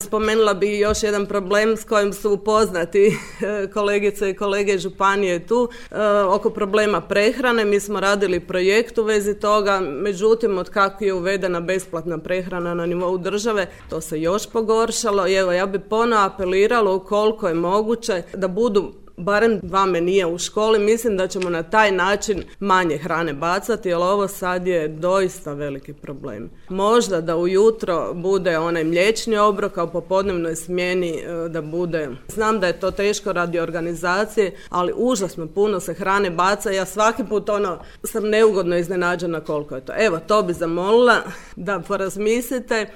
Spomenula bih još jedan problem s kojim su upoznati kolegice i kolege županije tu, oko problema prehrane. Mi smo radili projekt u vezi toga, međutim od kako je uvedena besplatna prehrana na nivou države, to se još pogoršalo i evo ja bih ponovo apelirala ukoliko je moguće da budu barem 2 menija u školi. Mislim da ćemo na taj način manje hrane bacati, jer ovo sad je doista veliki problem. Možda da ujutro bude onaj mliječni obrok, a u popodnevnoj smjeni da bude. Znam da je to teško radi organizacije, ali užasno puno se hrane baca. Ja svaki put sam neugodno iznenađena koliko je to. Evo, to bi zamolila da porazmislite.